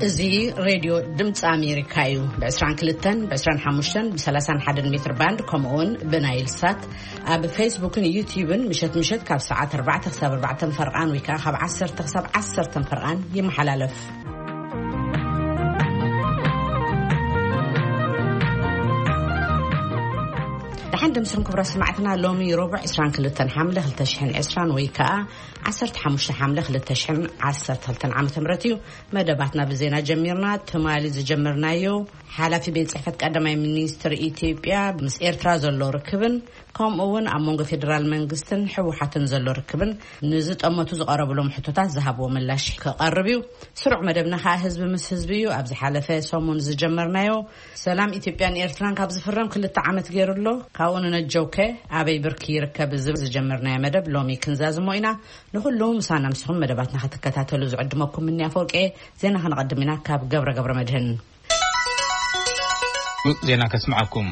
እዚ ሬድዮ ድምፂ ኣሜሪካ እዩ። ብ22፣ ብ25፣ ብ31 ሜትር ባንድ፣ ከምኡውን ብናይል ሳት ኣብ ፌስቡክን ዩቲዩብን ምሸት ምሸት ካብ ሰዓት ኣርባዕተ ክሳብ ኣርባዕተ ፈርቓን ወይ ከዓ ካብ ዓሰርተ ክሳብ ዓሰርተ ፈርቓን ይመሓላለፍ። ደሓን ድምስን ክብረ ሰማዕትና፣ ሎሚ ረቡዕ ዕስራን ክልተን ሓምለ ክልተ ሽሕን ዕስራን ወይ ከዓ ዓሰርተ ሓሙሽተ ሓምለ ክልተ ሽሕን ዓሰርተ ክልተን ዓመተ ምህረት እዩ። መደባትና ብዜና ጀሚርና። ትማሊ ዝጀመርናዮ ሓላፊ ቤት ጽሕፈት ቀዳማይ ሚኒስትር ኢትዮጵያ ምስ ኤርትራ ዘሎ ርክብን ከምኡ እውን ኣብ መንጎ ፌዴራል መንግስትን ህወሓትን ዘሎ ርክብን ንዝጠመቱ ዝቐረብሎም ሕቶታት ዝሃብዎ ምላሽ ክቐርብ እዩ። ስሩዕ መደብና ከዓ ህዝቢ ምስ ህዝቢ እዩ። ኣብ ዝሓለፈ ሰሙን ዝጀመርናዮ ሰላም ኢትዮጵያን ኤርትራን ካብ ዝፍረም ክልተ ዓመት ገይሩ ኣሎ። ካብኡ ንነጀውከ ኣበይ ብርኪ ይርከብ ዝብል ዝጀመርናዮ መደብ ሎሚ ክንዛዝሞ ኢና። ንኹሉ ምሳና ምስኹም መደባትና ክትከታተሉ ዝዕድመኩም ምንያ ፎርቄ። ዜና ከነቐድም ኢና ካብ ገብረ ገብረ መድህን። ዜና ከስምዓኩም።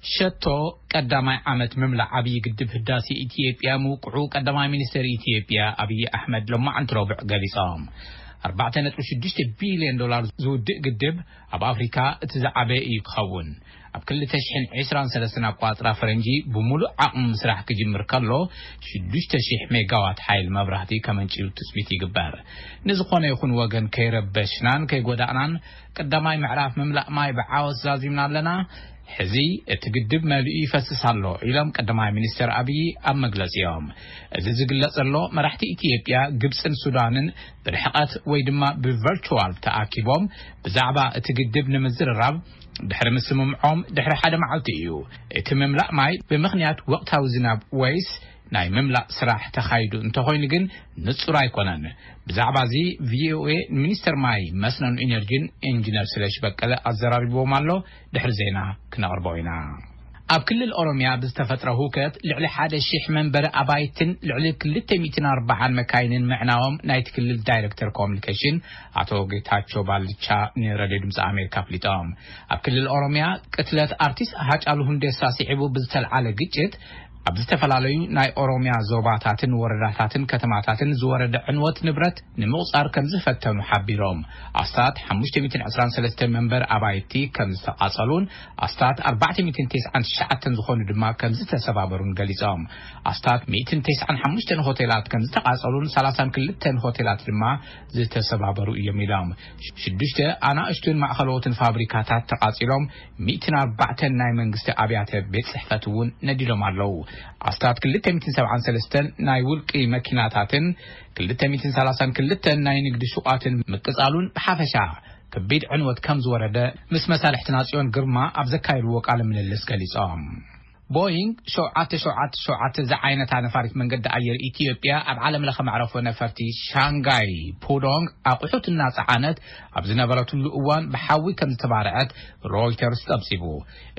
ሸቶ ቀዳማይ ዓመት ምምላእ ዓብዪ ግድብ ህዳሴ ኢትዮጵያ ምውቅዑ ቀዳማይ ሚኒስትር ኢትዮጵያ ኣብይ ኣሕመድ ሎማዓንቲ ረቡዕ ገሊጾም። ኣርባዕተ ነጥቢ ሽዱሽተ ቢልዮን ዶላር ዝውድእ ግድብ ኣብ ኣፍሪካ እቲ ዝዓበየ እዩ ክኸውን። ኣብ ክልተ ሽሕን ዕስራን ሰለስተን ኣቋጽራ ፈረንጂ ብምሉእ ዓቕሚ ምስራሕ ክጅምር ከሎ ሽዱሽተ ሽሕ ሜጋዋት ሓይሊ መብራህቲ ከመንጭዩ ትጽቢት ይግበር። ንዝኾነ ይኹን ወገን ከይረበሽናን ከይጎዳእናን ቀዳማይ ምዕራፍ ምምላእ ማይ ብዓወት ዛዚምና ኣለና። ሕዚ እቲ ግድብ መሊኡ ይፈስስ ኣሎ ኢሎም ቀዳማይ ሚኒስትር ኣብይ ኣብ መግለጺኦም። እዚ ዝግለጽ ዘሎ መራሕቲ ኢትዮጵያ፣ ግብጽን ሱዳንን ብርሕቀት ወይ ድማ ብቨርቹዋል ተኣኪቦም ብዛዕባ እቲ ግድብ ንምዝርራብ ድሕሪ ምስምምዖም ድሕሪ ሓደ መዓልቲ እዩ። እቲ ምምላእ ማይ ብምኽንያት ወቕታዊ ዝናብ ወይስ ናይ ምምላእ ስራሕ ተኻይዱ እንተኾይኑ ግን ንጹር ኣይኮነን። ብዛዕባ እዚ ቪኦኤ ንሚኒስተር ማይ፣ መስኖን ኢነርጂን ኢንጂነር ስለሽ በቀለ ኣዘራሪብዎም ኣሎ። ድሕሪ ዜና ክነቕርቦ ኢና። ኣብ ክልል ኦሮሚያ ብዝተፈጥረ ሁከት ልዕሊ ሓደ ሺሕ መንበሪ ኣባይትን ልዕሊ ክልተ ሚእትን ኣርባዓን መካይንን ምዕናዎም ናይቲ ክልል ዳይሬክተር ኮሙኒኬሽን ኣቶ ጌታቸው ባልቻ ንሬድዮ ድምፂ ኣሜሪካ ኣፍሊጦም። ኣብ ክልል ኦሮሚያ ቅትለት ኣርቲስት ሃጫሉ ሁንዴሳ ስዒቡ ብዝተልዓለ ግጭት ኣብ ዝተፈላለዩ ናይ ኦሮሚያ ዞባታትን ወረዳታትን ከተማታትን ዝወረደ ዕንወት ንብረት ንምቑጻር ከም ዝፈተኑ ሓቢሮም። ኣስታት ሓሙሽተ ሚእትን ዕስራን ሰለስተን መንበር ኣባይቲ ከም ዝተቓጸሉን ኣስታት ኣርባዕተ ሚእትን ተስዓን ትሽዓተን ዝኾኑ ድማ ከም ዝተሰባበሩን ገሊጾም። ኣስታት ሚእትን ተስዓን ሓሙሽተን ሆቴላት ከም ዝተቓጸሉን ሰላሳን ክልተን ሆቴላት ድማ ዝተሰባበሩ እዮም ኢሎም። ሽዱሽተ ኣናእሽቱን ማእኸለዎትን ፋብሪካታት ተቓጺሎም፣ ሚእትን ኣርባዕተን ናይ መንግስቲ ኣብያተ ቤት ጽሕፈት እውን ነዲዶም ኣለዉ። ኣስታት ክልተ ሚእትን ሰብዓን ሰለስተን ናይ ውልቂ መኪናታትን ክልተ ሚእትን ሰላሳን ክልተን ናይ ንግዲ ሹቓትን ምቅጻሉን ብሓፈሻ ከቢድ ዕንወት ከም ዝወረደ ምስ መሳርሕትና ጽዮን ግርማ ኣብ ዘካየድዎ ቃለ ምልልስ ገሊጾም። ቦይንግ ሸውዓተ ሸውዓተ ሸውዓተ ዝዓይነታ ነፋሪት መንገዲ ኣየር ኢትዮጵያ ኣብ ዓለም ለኸ መዕረፎ ነፈርቲ ሻንጋይ ፑዶንግ ኣቑሑት እናጸዓነት ኣብ ዝነበረትሉ እዋን ብሓዊ ከም ዝተባርዐት ሮይተርስ ጸብጺቡ።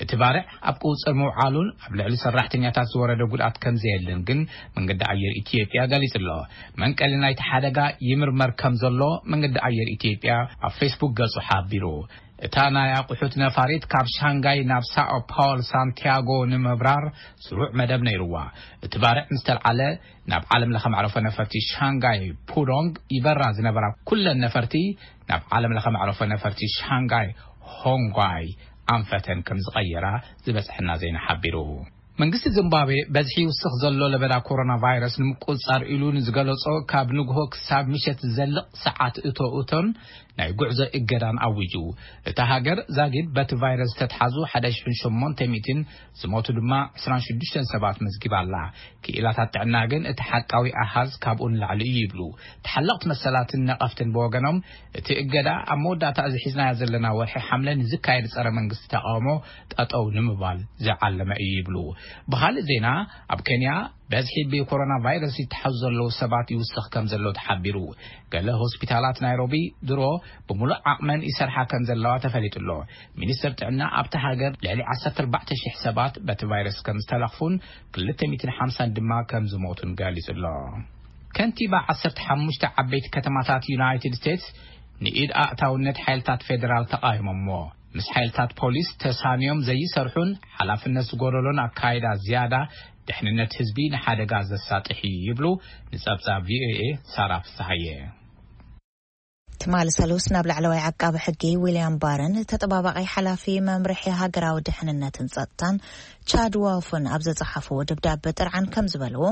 እቲ ባርዕ ኣብ ቁጽጽር ምውዓሉን ኣብ ልዕሊ ሰራሕተኛታት ዝወረደ ጉድኣት ከም ዘየለን ግን መንገዲ ኣየር ኢትዮጵያ ገሊጹ ኣሎ። መንቀሊ ናይቲ ሓደጋ ይምርመር ከም ዘሎ መንገዲ ኣየር ኢትዮጵያ ኣብ ፌስቡክ ገጹ ሓቢሩ። እታ ናይ ኣቑሑት ነፋሪት ካብ ሻንጋይ ናብ ሳኦ ፓውል ሳንቲያጎ ንምብራር ስሩዕ መደብ ነይርዋ። እቲ ባርዕ ምስ ተልዓለ ናብ ዓለም ለኸ መዕረፎ ነፈርቲ ሻንጋይ ፑዶንግ ይበራ ዝነበራ ኩለን ነፈርቲ ናብ ዓለም ለኸ መዕረፎ ነፈርቲ ሻንጋይ ሆንጓይ ኣንፈተን ከም ዝቐየራ ዝበጽሐና ዜና ሓቢሩ። መንግስቲ ዚምባብዌ በዝሒ ይውስኽ ዘሎ ለበዳ ኮሮና ቫይረስ ንምቁጽጻር ኢሉ ንዝገለጾ ካብ ንግሆ ክሳብ ምሸት ዝዘልቕ ሰዓት እቶ እቶን ናይ ጉዕዞ እገዳን ኣዊጁ። እታ ሃገር ዛጊድ በቲ ቫይረስ ዝተትሓዙ ሓደ ሽሕን ሸሞንተ ሚእትን ዝሞቱ ድማ ዕስራን ሽዱሽተን ሰባት መዝጊባ ኣላ። ክኢላታት ጥዕና ግን እቲ ሓቃዊ ኣሃዝ ካብኡ ንላዕሊ እዩ ይብሉ። ተሓለቕቲ መሰላትን ነቐፍትን ብወገኖም እቲ እገዳ ኣብ መወዳእታ እዚ ሒዝናዮ ዘለና ወርሒ ሓምለ ንዝካየድ ጸረ መንግስቲ ተቃውሞ ጠጠው ንምባል ዝዓለመ እዩ ይብሉ። ብኻልእ ዜና ኣብ ኬንያ በዝሒ ብኮሮና ቫይረስ ይተሓዙ ዘለዉ ሰባት ይውስኽ ከም ዘሎ ተሓቢሩ። ገለ ሆስፒታላት ናይሮቢ ድሮ ብምሉእ ዓቕመን ይሰርሓ ከም ዘለዋ ተፈሊጡ ኣሎ። ሚኒስትር ጥዕና ኣብታ ሃገር ልዕሊ ዓሰርተ ኣርባዕተ ሽሕ ሰባት በቲ ቫይረስ ከም ዝተለኽፉን ክልተ ሚእትን ሓምሳን ድማ ከም ዝሞቱን ገሊጹ ኣሎ። ከንቲባ ዓሰርተ ሓሙሽተ ዓበይቲ ከተማታት ዩናይትድ ስቴትስ ንኢድ ኣእታውነት ሓይልታት ፌደራል ተቓይሞሞ። ምስ ሓይልታት ፖሊስ ተሳንዮም ዘይሰርሑን ሓላፍነት ዝጎደሎን ኣካይዳ ዝያዳ ድሕንነት ህዝቢ ንሓደጋ ዘሳጥሕ እዩ ይብሉ ንጸብጻብ ቪኦኤ ሳራ ፍስሃየ። ትማሊ ሰሉስ ናብ ላዕለዋይ ዓቃቢ ሕጊ ዊልያም ባርን ተጠባባቂ ሓላፊ መምርሒ ሃገራዊ ድሕንነትን ጸጥታን ቻድ ዋልፍን ኣብ ዘጸሓፍዎ ደብዳበ ጥርዓን ከም ዝበልዎ፣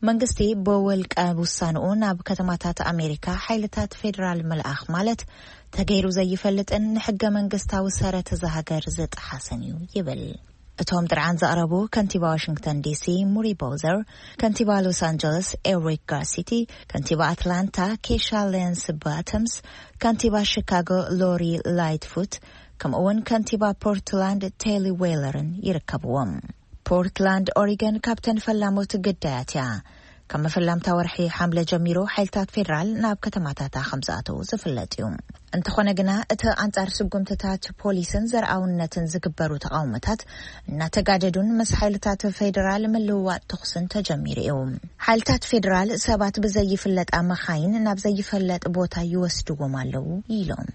መንግስቲ ብውልቀ ውሳንኡ ናብ ከተማታት ኣሜሪካ ሓይልታት ፌዴራል ምልኣኽ ማለት ተገይሩ ዘይፈልጥን ንሕገ መንግስታዊ ሰረት እዛ ሃገር ዝጠሓሰን እዩ ይብል። እቶም ጥርዓን ዘቕረቡ ከንቲባ ዋሽንግተን ዲሲ ሙሪ ቦዘር፣ ከንቲባ ሎስ ኣንጀለስ ኤሪክ ጋርሲቲ፣ ከንቲባ ኣትላንታ ኬሻ ሌንስ ባተምስ፣ ከንቲባ ሺካጎ ሎሪ ላይትፉት፣ ከምኡውን ከንቲባ ፖርትላንድ ቴሊ ዌለርን ይርከብዎም። ፖርትላንድ ኦሪገን ካብተን ፈላሞት ግዳያት እያ። ካብ መፈላምታ ወርሒ ሓምለ ጀሚሩ ሓይልታት ፌዴራል ናብ ከተማታታ ከም ዝኣተዉ ዝፍለጥ እዩ። እንተኾነ ግና እቲ ኣንጻር ስጉምትታት ፖሊስን ዘርኣውነትን ዝግበሩ ተቓውሞታት እናተጋደዱን ምስ ሓይልታት ፌዴራል ምልውዋጥ ተኹስን ተጀሚሩ እዩ። ሓይልታት ፌዴራል ሰባት ብዘይፍለጣ መኻይን ናብ ዘይፈለጥ ቦታ ይወስድዎም ኣለዉ ኢሎም።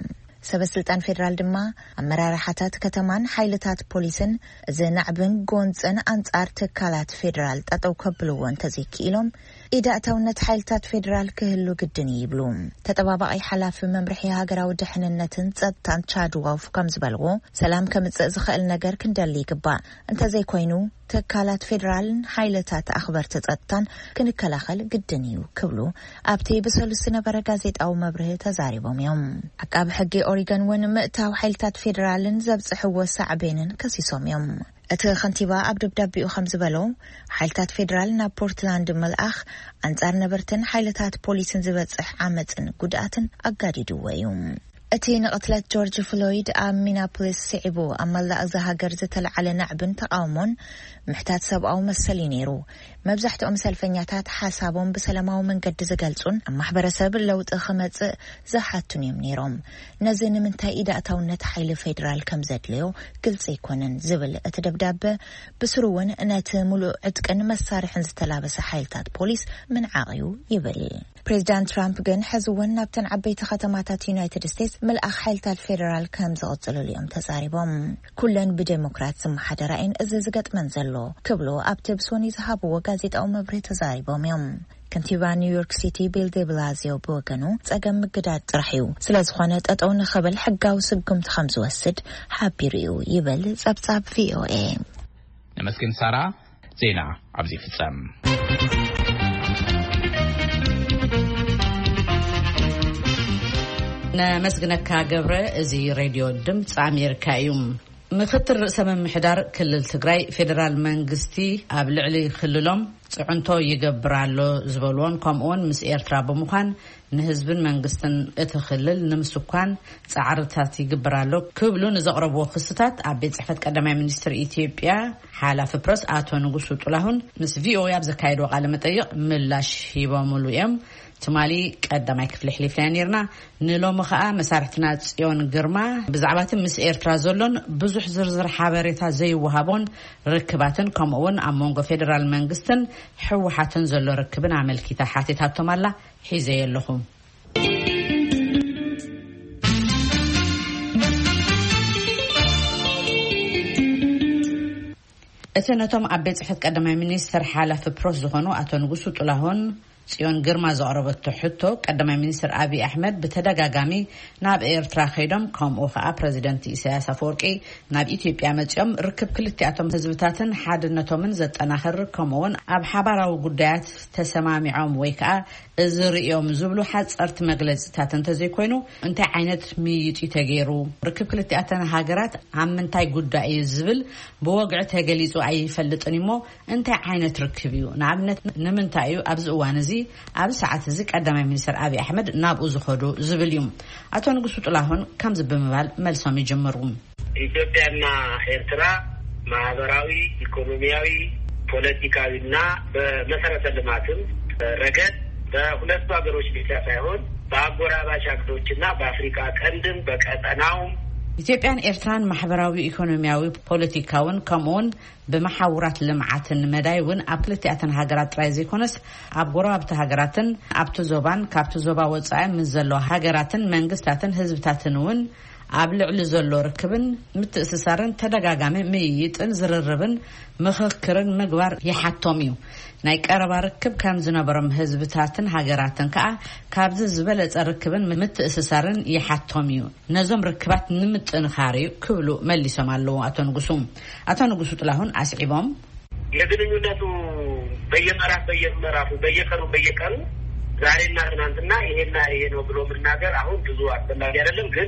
ሰበ ስልጣን ፌዴራል ድማ ኣመራርሓታት ከተማን ሓይልታት ፖሊስን እዚ ናዕብን ጎንፅን ኣንጻር ትካላት ፌዴራል ጠጠው ከብልዎ እንተዘይክኢሎም ኢዳእታውነት ሓይልታት ፌዴራል ክህሉ ግድን እዩ ይብሉ። ተጠባባቂ ሓላፊ መምርሒ ሃገራዊ ድሕንነትን ጸጥታን ቻድ ዋልፍ ከም ዝበልዎ፣ ሰላም ከምጽእ ዝኽእል ነገር ክንደሊ ይግባእ። እንተዘይኮይኑ ትካላት ፌዴራልን ሓይልታት ኣኽበርቲ ጸጥታን ክንከላኸል ግድን እዩ ክብሉ ኣብቲ ብሰሉስ ዝነበረ ጋዜጣዊ መብርሂ ተዛሪቦም እዮም። ዓቃቢ ሕጊ ኦሪገን እውን ምእታው ሓይልታት ፌዴራልን ዘብጽሕዎ ሳዕቤንን ከሲሶም እዮም። እቲ ከንቲባ ኣብ ደብዳቤኡ ከም ዝበሎ፣ ሓይልታት ፌዴራል ናብ ፖርትላንድ ምልኣኽ ኣንጻር ነበርትን ሓይልታት ፖሊስን ዝበጽሕ ዓመጽን ጉድኣትን ኣጋዲድዎ እዩ። እቲ ንቕትለት ጆርጅ ፍሎይድ ኣብ ሚናፖሊስ ስዒቡ ኣብ መላእ እዛ ሃገር ዝተለዓለ ናዕብን ተቓውሞን ምሕታት ሰብኣዊ መሰል እዩ ነይሩ። መብዛሕትኦም ሰልፈኛታት ሓሳቦም ብሰላማዊ መንገዲ ዝገልጹን ኣብ ማሕበረሰብ ለውጢ ክመጽእ ዝሓቱን እዮም ነይሮም። ነዚ ንምንታይ ኢዳእታውነት ሓይሊ ፌዴራል ከም ዘድልዮ ግልጺ ኣይኮነን ዝብል እቲ ደብዳበ፣ ብስሩ እውን ነቲ ሙሉእ ዕጥቅን መሳርሕን ዝተላበሰ ሓይልታት ፖሊስ ምንዓቕ እዩ ይብል። ፕሬዚዳንት ትራምፕ ግን ሕዚ እውን ናብተን ዓበይቲ ከተማታት ዩናይትድ ስቴትስ ምልኣኽ ሓይልታት ፌዴራል ከም ዝቕጽልሉ እዮም ተዛሪቦም። ኩለን ብዴሞክራት ዝመሓደራ እየን እዚ ዝገጥመን ዘሎ ክብሉ ኣብቲ ብሶኒ ዝሃብዎ ጋዜጣዊ መብርሂ ተዛሪቦም እዮም። ከንቲባ ኒውዮርክ ሲቲ ቢል ዴብላዚዮ ብወገኑ፣ ጸገም ምግዳድ ጥራሕ እዩ፣ ስለ ዝኾነ ጠጠው ንኽብል ሕጋዊ ስጉምቲ ከም ዝወስድ ሓቢሩ እዩ ይብል ጸብጻብ ቪኦኤ። ነመስግን ሳራ። ዜና ኣብዚ ይፍጸም። ነመስግነካ ገብረ። እዚ ሬድዮ ድምፂ ኣሜሪካ እዩ። ምክትል ርእሰ ምምሕዳር ክልል ትግራይ፣ ፌዴራል መንግስቲ ኣብ ልዕሊ ክልሎም ፅዕንቶ ይገብር ኣሎ ዝበልዎን፣ ከምኡውን ምስ ኤርትራ ብምዃን ንህዝብን መንግስትን እቲ ክልል ንምስኳን ጻዕርታት ይግበር ኣሎ ክብሉ ንዘቕረብዎ ክስታት፣ ኣብ ቤት ጽሕፈት ቀዳማይ ሚኒስትር ኢትዮጵያ ሓላፊ ፕረስ ኣቶ ንጉሱ ጥላሁን ምስ ቪኦኤ ኣብ ዘካየድዎ ቃለ መጠይቕ ምላሽ ሂቦምሉ እዮም። ትማሊ ቀዳማይ ክፍሊ ኣሕሊፍናዮ ነይርና። ንሎሚ ኸኣ መሳርሕትና ጽዮን ግርማ ብዛዕባ እቲ ምስ ኤርትራ ዘሎን ብዙሕ ዝርዝር ሓበሬታ ዘይወሃቦን ርክባትን፣ ከምኡ እውን ኣብ መንጎ ፌደራል መንግስትን ህወሓትን ዘሎ ርክብን ኣመልኪታ ሓቲታቶም ኣላ። ሒዘዮ ኣለኹ። እቲ ነቶም ኣብ ቤት ጽሕፈት ቀዳማይ ሚኒስትር ሓላፊ ፕረስ ዝኾኑ ኣቶ ንጉሱ ጥላሁን ጽዮን ግርማ ዘቕረበቶ ሕቶ፣ ቀዳማይ ሚኒስትር ኣብይ ኣሕመድ ብተደጋጋሚ ናብ ኤርትራ ከይዶም፣ ከምኡ ኸኣ ፕረዚደንት ኢሳያስ ኣፈወርቂ ናብ ኢትዮጵያ መጺኦም ርክብ ክልቲኣቶም ህዝብታትን ሓድነቶምን ዘጠናኽር፣ ከምኡውን ኣብ ሓባራዊ ጉዳያት ተሰማሚዖም ወይ ከኣ እዚ ርእዮም ዝብሉ ሓጸርቲ መግለጺታት እንተዘይኮይኑ፣ እንታይ ዓይነት ምይይጥ እዩ ተገይሩ? ርክብ ክልቲኣተን ሃገራት ኣብ ምንታይ ጉዳይ እዩ ዝብል ብወግዒ ተገሊጹ ኣይፈልጥን እሞ፣ እንታይ ዓይነት ርክብ እዩ? ንኣብነት፣ ንምንታይ እዩ ኣብዚ እዋን እዚ፣ ኣብዚ ሰዓት እዚ ቀዳማይ ሚኒስትር ኣብይ ኣሕመድ ናብኡ ዝኸዱ ዝብል እዩ። ኣቶ ንጉሱ ጥላሁን ከምዚ ብምባል መልሶም ይጅምሩ። ኢትዮጵያና ኤርትራ ማህበራዊ፣ ኢኮኖሚያዊ፣ ፖለቲካዊና በመሰረተ ልማትም ረገድ በሁለቱ ሀገሮች ብቻ ሳይሆን በአጎራባች ሀገሮችና በአፍሪካ ቀንድም በቀጠናውም ኢትዮጵያን ኤርትራን ማሕበራዊ፣ ኢኮኖሚያዊ፣ ፖለቲካውን ከምኡውን ብመሓውራት ልምዓትን መዳይ እውን ኣብ ክልቲኣተን ሃገራት ጥራይ ዘይኮነስ ኣብ ጎረባብቲ ሃገራትን ኣብቲ ዞባን ካብቲ ዞባ ወጻኢ ምስ ዘለዋ ሃገራትን መንግስታትን ህዝብታትን እውን ኣብ ልዕሊ ዘሎ ርክብን ምትእስሳርን ተደጋጋሚ ምይይጥን ዝርርብን ምኽክርን ምግባር ይሓቶም እዩ። ናይ ቀረባ ርክብ ከም ዝነበሮም ህዝብታትን ሃገራትን ከኣ ካብዚ ዝበለጸ ርክብን ምትእስሳርን ይሓቶም እዩ። ነዞም ርክባት ንምጥንኻር እዩ ክብሉ መሊሶም ኣለዉ ኣቶ ንጉሱ። ኣቶ ንጉሱ ጥላሁን ኣስዒቦም፣ የግንኙነቱ በየምዕራፍ በየምዕራፉ በየቀኑ በየቀኑ ዛሬና ትናንትና ይሄና ይሄ ነው ብሎ መናገር አሁን ብዙ አስፈላጊ አይደለም። ግን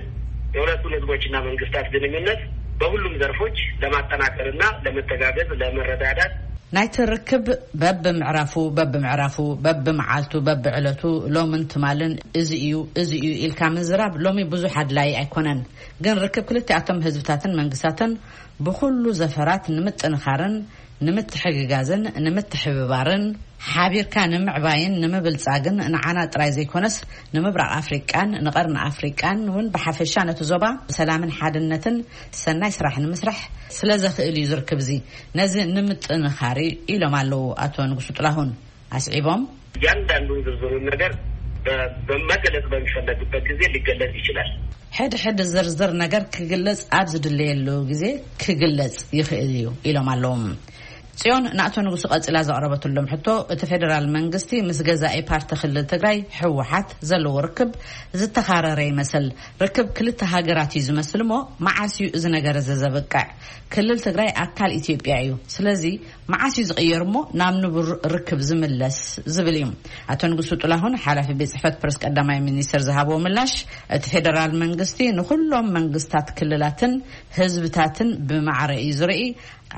የሁለቱን ህዝቦችና መንግስታት ግንኙነት በሁሉም ዘርፎች ለማጠናከርና ለመተጋገዝ፣ ለመረዳዳት፣ ናይቲ ርክብ በብምዕራፉ በብምዕራፉ በብመዓልቱ በብዕለቱ ሎምን ትማልን እዚ እዩ እዚ እዩ ኢልካ ምዝራብ ሎሚ ብዙሕ ኣድላዪ ኣይኮነን። ግን ርክብ ክልቲኣቶም ህዝብታትን መንግስታትን ብኹሉ ዘፈራት ንምጥንኻርን ንምትሕግጋዝን ንምትሕብባርን ሓቢርካ ንምዕባይን ንምብልጻግን ንዓና ጥራይ ዘይኮነስ ንምብራቕ ኣፍሪቃን ንቐርኒ ኣፍሪቃን እውን ብሓፈሻ ነቲ ዞባ ሰላምን ሓድነትን ሰናይ ስራሕ ንምስራሕ ስለ ዘኽእል እዩ ዝርክብ እዚ ነዚ ንምጥንኻር እዩ ኢሎም ኣለዉ ኣቶ ንጉሱ ጥላሁን ኣስዒቦም። እያንዳንዱ ዝርዝሩን ነገር በ- በመገለጽ በሚፈለግበት ጊዜ ሊገለጽ ይችላል። ሕድ ሕድ ዝርዝር ነገር ክግለጽ ኣብ ዝድለየሉ ግዜ ክግለጽ ይኽእል እዩ ኢሎም ኣለዎም። ጽዮን ንኣቶ ንጉሱ ቀጺላ ዘቕረበትሎም ሕቶ እቲ ፌደራል መንግስቲ ምስ ገዛኢ ፓርቲ ክልል ትግራይ ህወሓት ዘለዎ ርክብ ዝተኻረረ ይመስል። ርክብ ክልተ ሃገራት እዩ ዝመስል እሞ መዓስ እዩ እዚ ነገር እዚ ዘብቅዕ? ክልል ትግራይ ኣካል ኢትዮጵያ እዩ። ስለዚ መዓስ እዩ ዝቕየር እሞ ናብ ንቡር ርክብ ዝምለስ ዝብል እዩ። ኣቶ ንጉሱ ጥላሁን ሓላፊ ቤት ጽሕፈት ፕረስ ቀዳማይ ሚኒስትር ዝሃብዎ ምላሽ እቲ ፌደራል መንግስቲ ንኹሎም መንግስታት ክልላትን ህዝብታትን ብማዕረ እዩ ዝርኢ።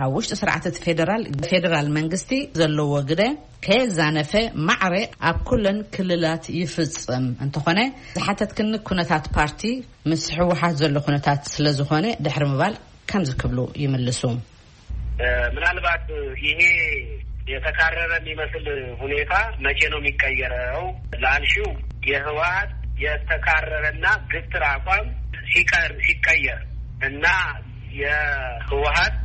ኣብ ውሽጢ ስርዓት እቲ ፌደራል ፌደራል መንግስቲ ዘለዎ ግደ ከየዛነፈ ማዕረ ኣብ ኩለን ክልላት ይፍጽም። እንተኾነ ዝሓተትክኒ ኩነታት ፓርቲ ምስ ህወሓት ዘሎ ኩነታት ስለ ዝኾነ ድሕሪ ምባል ከምዚ ክብሉ ይምልሱ። ምናልባት ይሄ የተካረረ የሚመስል ሁኔታ መቼ ነው የሚቀየረው ላልሽው፣ የህወሓት የተካረረና ግትር አቋም ሲቀር ሲቀየር እና የህወሓት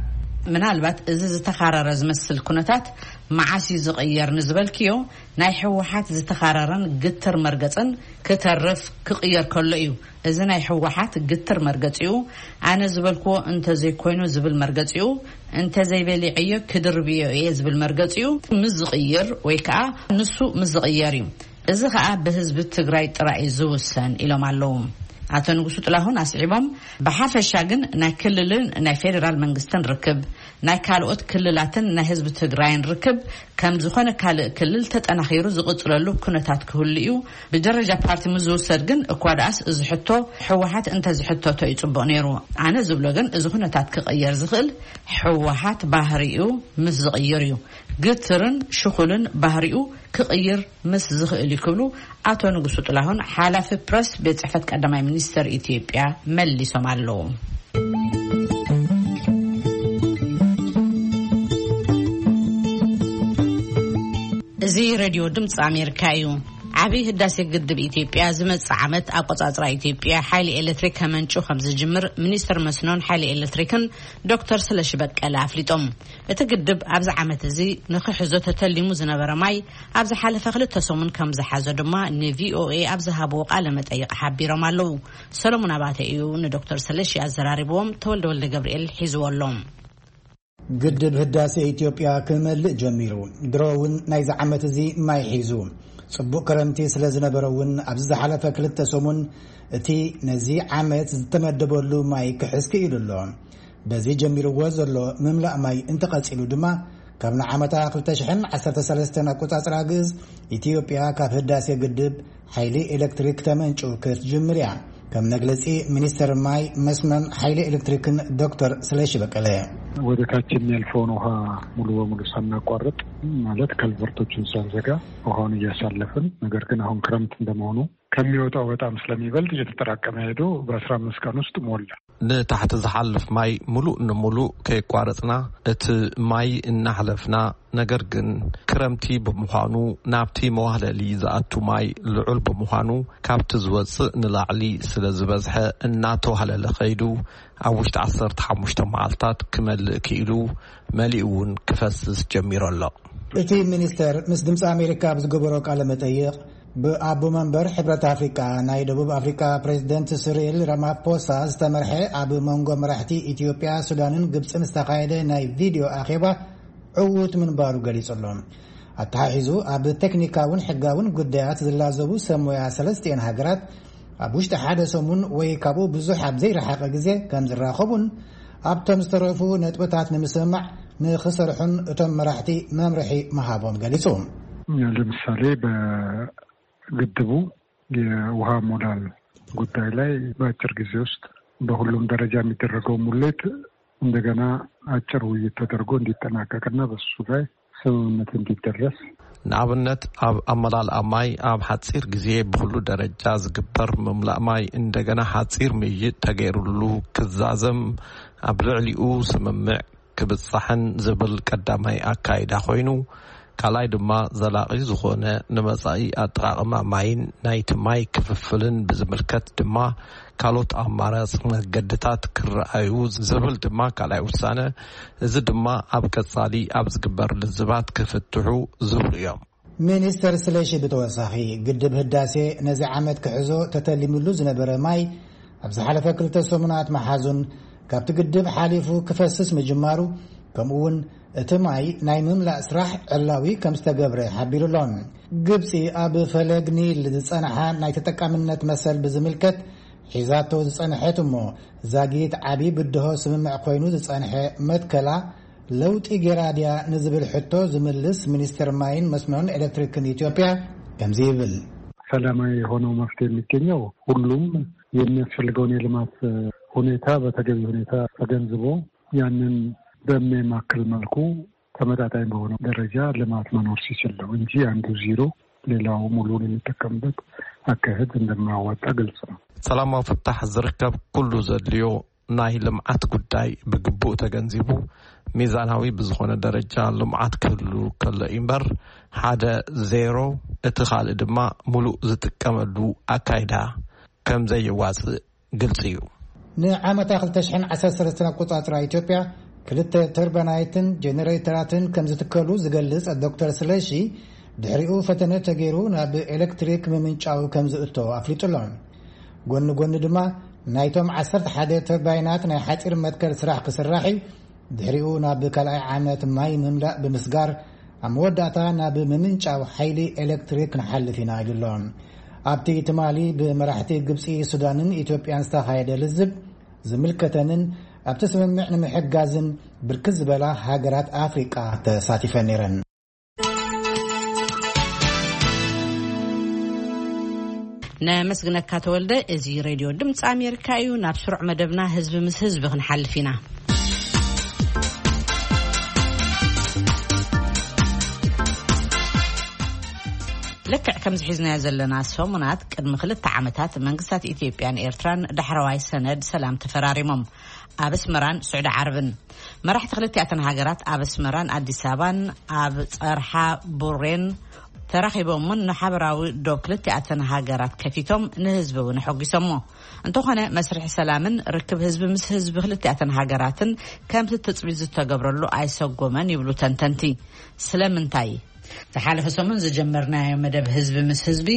ምናልባት እዚ ዝተኻረረ ዝመስል ኩነታት መዓስ እዩ ዝቕየር ንዝበልክዮ፣ ናይ ህወሓት ዝተኻረረን ግትር መርገጽን ክተርፍ ክቕየር ከሎ እዩ። እዚ ናይ ህወሓት ግትር መርገጺኡ፣ ኣነ ዝበልክዎ እንተዘይኮይኑ ዝብል መርገጺኡ፣ እንተዘይበሊዐዮ ክድርብዮ እየ ዝብል መርገጺኡ ምስ ዝቕይር ወይ ከኣ ንሱ ምስ ዝቕየር እዩ። እዚ ከኣ ብህዝቢ ትግራይ ጥራይ እዩ ዝውሰን ኢሎም ኣለዉ። ኣቶ ንጉሱ ጥላሁን ኣስዒቦም፣ ብሓፈሻ ግን ናይ ክልልን ናይ ፌደራል መንግስትን ርክብ፣ ናይ ካልኦት ክልላትን ናይ ህዝቢ ትግራይን ርክብ ከም ዝኾነ ካልእ ክልል ተጠናኺሩ ዝቕጽለሉ ኩነታት ክህሉ እዩ። ብደረጃ ፓርቲ ምስ ዝውሰድ ግን እኳ ደኣስ እዚ ሕቶ ህወሓት እንተዝሕተቶ እዩ ጽቡቕ ነይሩ። ኣነ ዝብሎ ግን እዚ ኩነታት ክቕየር ዝኽእል ህወሓት ባህሪኡ ምስ ዝቕይር እዩ። ግትርን ሽኹልን ባህሪኡ ክቕይር ምስ ዝኽእል እዩ ክብሉ ኣቶ ንጉሱ ጥላሁን ሓላፊ ፕረስ ቤት ጽሕፈት ቀዳማይ ሚኒስተር ኢትዮጵያ መሊሶም ኣለዉ። እዚ ሬድዮ ድምፂ ኣሜሪካ እዩ። ዓብዪ ህዳሴ ግድብ ኢትዮጵያ ዝመጽእ ዓመት ኣቆጻጽራ ኢትዮጵያ ሓይሊ ኤሌክትሪክ ከመንጩ ከም ዝጅምር ሚኒስትር መስኖን ሓይሊ ኤሌክትሪክን ዶክተር ስለሺ በቀለ ኣፍሊጦም። እቲ ግድብ ኣብዚ ዓመት እዚ ንኽሕዞ ተተሊሙ ዝነበረ ማይ ኣብ ዝሓለፈ ክልተ ሰሙን ከም ዝሓዞ ድማ ንቪኦኤ ኣብ ዝሃብዎ ቃለ መጠይቕ ሓቢሮም ኣለዉ። ሰሎሞን ኣባተ እዩ ንዶክተር ስለሺ ኣዘራሪብዎም፣ ተወልደ ወልደ ገብርኤል ሒዝዎ ኣሎ። ግድብ ህዳሴ ኢትዮጵያ ክመልእ ጀሚሩ። ድሮ እውን ናይዚ ዓመት እዚ ማይ ሒዙ። ጽቡቕ ክረምቲ ስለ ዝነበረ እውን ኣብዚ ዝሓለፈ ክልተ ሰሙን እቲ ነዚ ዓመት ዝተመደበሉ ማይ ክሕዝ ክኢሉ ኣሎ። በዚ ጀሚርዎ ዘሎ ምምላእ ማይ እንተቐጺሉ ድማ ካብ ንዓመታ ክልተ ሽሕን ዓሰርተ ሰለስተን ኣቆጻጽራ ግእዝ ኢትዮጵያ ካብ ህዳሴ ግድብ ሓይሊ ኤሌክትሪክ ተመንጩ ክትጅምር እያ። ከም መግለጺ ሚኒስትር ማይ መስኖን ሓይሊ ኤሌክትሪክን ዶክተር ስለሺ በቀለ። ወደ ታች የሚያልፈውን ውሃ ሙሉ በሙሉ ሳናቋርጥ፣ ማለት ከልቨርቶችን ሳንዘጋ ውሃውን እያሳለፍን፣ ነገር ግን አሁን ክረምት እንደመሆኑ ከሚወጣው በጣም ስለሚበልጥ እየተጠራቀመ ሄዶ በአስራ አምስት ቀን ውስጥ ሞላ። ንታሕቲ ዝሓልፍ ማይ ሙሉእ ንሙሉእ ከየቋረጽና እቲ ማይ እናሕለፍና፣ ነገር ግን ክረምቲ ብምዃኑ ናብቲ መዋህለሊ ዝኣቱ ማይ ልዑል ብምዃኑ ካብቲ ዝወጽእ ንላዕሊ ስለ ዝበዝሐ እናተዋህለለ ከይዱ ኣብ ውሽጢ ዓሰርተ ሓሙሽተ መዓልታት ክመልእ ክኢሉ መሊኡ እውን ክፈስስ ጀሚሩ ኣሎ። እቲ ሚኒስተር ምስ ድምፂ ኣሜሪካ ኣብ ዝገበሮ ቃለ መጠይቕ ብኣቦ መንበር ሕብረት ኣፍሪቃ ናይ ደቡብ ኣፍሪቃ ፕሬዚደንት ስሪል ራማፖሳ ዝተመርሐ ኣብ መንጎ መራሕቲ ኢትዮጵያ፣ ሱዳንን ግብፅን ዝተኻየደ ናይ ቪድዮ ኣኼባ ዕዉት ምንባሩ ገሊጹ ኣሎ። ኣተሓሒዙ ኣብ ቴክኒካውን ሕጋውን ጉዳያት ዝላዘቡ ሰብ ሞያ ሰለስቲኤን ሃገራት ኣብ ውሽጢ ሓደ ሰሙን ወይ ካብኡ ብዙሕ ኣብ ዘይረሓቐ ግዜ ከም ዝራኸቡን ኣብቶም ዝተረፉ ነጥብታት ንምስምማዕ ንኽሰርሑን እቶም መራሕቲ መምርሒ ምሃቦም ገሊጹ። ለምሳሌ በግድቡ የውሃ ሞላል ጉዳይ ላይ በአጭር ጊዜ ውስጥ በሁሉም ደረጃ የሚደረገው ሙሌት እንደገና አጭር ውይይት ተደርጎ እንዲጠናቀቅና በሱ ላይ ስምምነት እንዲደረስ። ንኣብነት ኣብ ኣመላልኣ ማይ ኣብ ሓፂር ግዜ ብኹሉ ደረጃ ዝግበር ምምላእ ማይ እንደገና ሓፂር ምይይጥ ተገይሩሉ ክዛዘም፣ ኣብ ልዕሊኡ ስምምዕ ክብጻሕን ዝብል ቀዳማይ ኣካይዳ ኮይኑ፣ ካልኣይ ድማ ዘላቒ ዝኾነ ንመጻኢ ኣጠቓቕማ ማይን ናይቲ ማይ ክፍፍልን ብዝምልከት ድማ ካልኦት ኣማራፂ መገድታት ክረኣዩ ዝብል ድማ ካልኣይ ውሳነ። እዚ ድማ ኣብ ቀጻሊ ኣብ ዝግበር ልዝባት ክፍትሑ ዝብሉ እዮም። ሚኒስተር ስለሺ ብተወሳኺ፣ ግድብ ህዳሴ ነዚ ዓመት ክሕዞ ተተሊምሉ ዝነበረ ማይ ኣብ ዝሓለፈ ክልተ ሰሙናት ምሓዙን ካብቲ ግድብ ሓሊፉ ክፈስስ ምጅማሩ፣ ከምኡ እውን እቲ ማይ ናይ ምምላእ ስራሕ ዕላዊ ከም ዝተገብረ ሓቢሩ ኣሎ። ግብጺ ኣብ ፈለግ ኒል ዝጸንሓ ናይ ተጠቃምነት መሰል ብዝምልከት ሒዛቶ ዝጸንሐት እሞ ዛጊት ዓቢ ብድሆ ስምምዕ ኮይኑ ዝጸንሐ መትከላ ለውጢ ጌራ ድያ ንዝብል ሕቶ ዝምልስ ሚኒስትር ማይን መስኖን ኤሌክትሪክን ኢትዮጵያ ከምዚ ይብል። ሰላማዊ የሆነው መፍትሄ የሚገኘው ሁሉም የሚያስፈልገውን የልማት ሁኔታ በተገቢ ሁኔታ ተገንዝቦ ያንን በሚያማክል መልኩ ተመጣጣኝ በሆነ ደረጃ ልማት መኖር ሲችል ነው እንጂ አንዱ ዜሮ ሌላው ሙሉውን የሚጠቀምበት አካሄድ እንደማያዋጣ ግልጽ ነው። ሰላማዊ ፍታሕ ዝርከብ ኩሉ ዘድልዮ ናይ ልምዓት ጉዳይ ብግቡእ ተገንዚቡ፣ ሚዛናዊ ብዝኾነ ደረጃ ልምዓት ክህሉ ከሎ እምበር፣ ሓደ ዜሮ እቲ ካልእ ድማ ሙሉእ ዝጥቀመሉ ኣካይዳ ከም ዘየዋጽእ ግልጺ እዩ። ንዓመታ ክልተ ሽሕን ዓሰርተ ሰለስተን ኣቆጻጽራ ኢትዮጵያ ክልተ ተርባናይትን ጀነሬተራትን ከም ዝትከሉ ዝገልጽ ዶክተር ስለሺ፣ ድሕሪኡ ፈተነ ተገይሩ ናብ ኤሌክትሪክ ምምንጫው ከም ዝእቶ ኣፍሊጡ ኣሎ። ጎኒ ጎኒ ድማ ናይቶም ዓሰርተ ሓደ ተርባይናት ናይ ሓጺር መትከል ስራሕ ክስራሕ እዩ። ድሕሪኡ ናብ ካልኣይ ዓመት ማይ ምምላእ ብምስጋር፣ ኣብ መወዳእታ ናብ ምምንጫው ሓይሊ ኤሌክትሪክ ክንሓልፍ ኢና ኢሉ ኣሎ። ኣብቲ ትማሊ ብመራሕቲ ግብጺ፣ ሱዳንን ኢትዮጵያን ዝተኻየደ ልዝብ፣ ዝምልከተንን ኣብቲ ስምምዕ ንምሕጋዝን ብርክት ዝበላ ሃገራት ኣፍሪቃ ተሳቲፈን ነይረን። ነመስግነካ ተወልደ። እዚ ሬድዮ ድምፂ ኣሜሪካ እዩ። ናብ ስሩዕ መደብና ህዝቢ ምስ ህዝቢ ክንሓልፍ ኢና። ልክዕ ከምዚ ሒዝናዮ ዘለና ሰሙናት፣ ቅድሚ ክልተ ዓመታት መንግስታት ኢትዮጵያን ኤርትራን ዳሕረዋይ ሰነድ ሰላም ተፈራሪሞም፣ ኣብ ኣስመራን ስዑዲ ዓረብን። መራሕቲ ክልቲኣተን ሃገራት ኣብ ኣስመራን ኣዲስ ኣበባን ኣብ ጸርሓ ቡሬን ተራኺቦምን ንሓበራዊ ዶብ ክልቲኣተን ሃገራት ከፊቶም ንህዝቢ እውን ኣሐጒሶሞ። እንተኾነ መስርሕ ሰላምን ርክብ ህዝቢ ምስ ህዝቢ ክልቲኣተን ሃገራትን ከምቲ ትጽቢት ዝተገብረሉ ኣይሰጎመን ይብሉ ተንተንቲ። ስለምንታይ? ዝሓለፈ ሰሙን ዝጀመርናዮ መደብ ህዝቢ ምስ ህዝቢ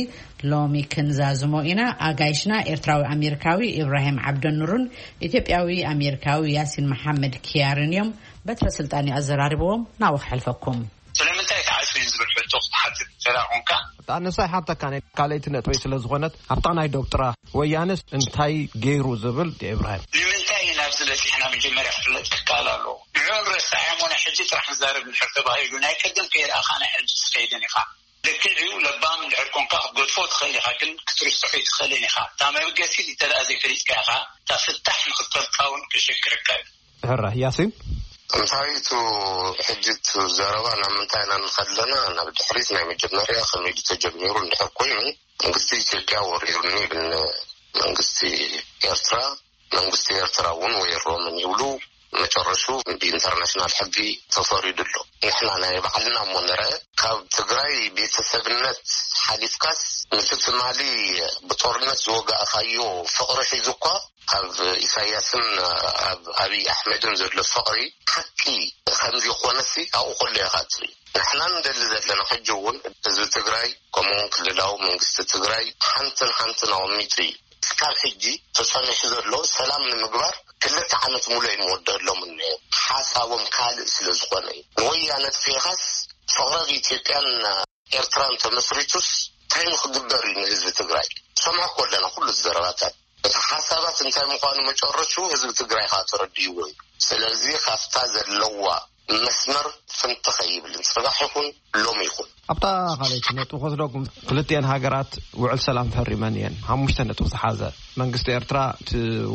ሎሚ ክንዛዝሞ ኢና። ኣጋይሽና ኤርትራዊ ኣሜሪካዊ ኢብራሂም ዓብደኑርን ኢትዮጵያዊ ኣሜሪካዊ ያሲን መሓመድ ኪያርን እዮም። በትረ ስልጣን እዩ ኣዘራሪብዎም። ናብኡ ክሕልፈኩም። ስለምንታይ ተዓጽዩ ዝብል ሕቶ ክትሓትት እንተ ደኣ ኾንካ፣ ኣነሳ ይሓተካ ናይ ካልኣይቲ ነጥበይ ስለ ዝኾነት፣ ኣብታ ናይ ዶብ ጥራ ወያነስ እንታይ ገይሩ ዝብል ድዩ ኢብራሂም? ንምንታይ እዩ ናብዚ በጺሕና መጀመርያ ክፍለጥ ክከኣል ኣለዎ። ንዕኡ ንረስዓዮ እሞ ናይ ሕጂ ጥራሕ ንዛረብ እንድሕር ተባሂሉ፣ ናይ ቀደም ከይረኣኻ ናይ ሕጂ ትኸይድን ኢኻ። ልክዕ እዩ፣ ለባም እንድሕር ኮንካ ክትገድፎ ትኽእል ኢኻ፣ ግን ክትርስዖ ኣይትኽእልን ኢኻ። እታ መበገሲት እንተ ደኣ ዘይፈሊጥካያ ኢኻ፣ እታ ፍታሕ ንኽትፈልጣ እውን ከሸግረካ እዩ። ሕረ ያሲን? እንታይ እቲ ሕጂ እቲ ዘረባ ናብ ምንታይ ኢና ንኸድ ኣለና? ናብ ድሕሪት ናይ መጀመርያ ከመይ ድዩ ተጀሚሩ እንድሕር ኮይኑ፣ መንግስቲ ኢትዮጵያ ወሪሩኒ ይብል መንግስቲ ኤርትራ፣ መንግስቲ ኤርትራ እውን ወይሮምን ይብሉ። መቸ ተርሹ ብኢንተርናሽናል ሕጊ ተፈሪዱ ኣሎ። ንሕና ናይ ባዕልና እሞ ንርአ። ካብ ትግራይ ቤተሰብነት ሓሊፍካስ፣ ነቲ ትማሊ ብጦርነት ዝወጋእካዮ ፍቕሪ ሒዙ እኳ፣ ኣብ ኢሳያስን ኣብ ኣብይ ኣሕመድን ዘሎ ፍቕሪ ሓቂ ከምዚ ይኾነሲ ኣብኡ ከሎ ኢኻ ትርኢ። ንሕና ንደሊ ዘለና ሕጂ እውን ህዝቢ ትግራይ፣ ከምኡውን ክልላዊ መንግስቲ ትግራይ ሓንትን ሓንትን ኣቐሚጡ እዩ። እስካብ ሕጂ ተጸኒሑ ዘሎ ሰላም ንምግባር ክልተ ዓመት ሙሉእ ይመወደሎም እኒኦ። ሓሳቦም ካልእ ስለ ዝኾነ እዩ። ንወያነ ጥፊእኻስ፣ ፍቕሪ ኣብ ኢትዮጵያን ኤርትራን ተመስሪቱስ እንታይ ንክግበር እዩ ንህዝቢ ትግራይ? ሰምዖ እኮ ኣለና ኩሉ ዘረባታት። እቲ ሓሳባት እንታይ ምዃኑ መጨረሹ ህዝቢ ትግራይ ከዓ ተረዲእዎ እዩ። ስለዚ ካብታ ዘለዋ መስመር ፍንትኽ ኣይብልን። ጽባሕ ይኹን ሎም ይኹን። ኣብታ ካልኣይቲ ነጥቢ ክወስደኩም፣ ክልቲኤን ሃገራት ውዕል ሰላም ፈሪመን እየን። ሓሙሽተ ነጥቢ ዝሓዘ መንግስቲ ኤርትራ እቲ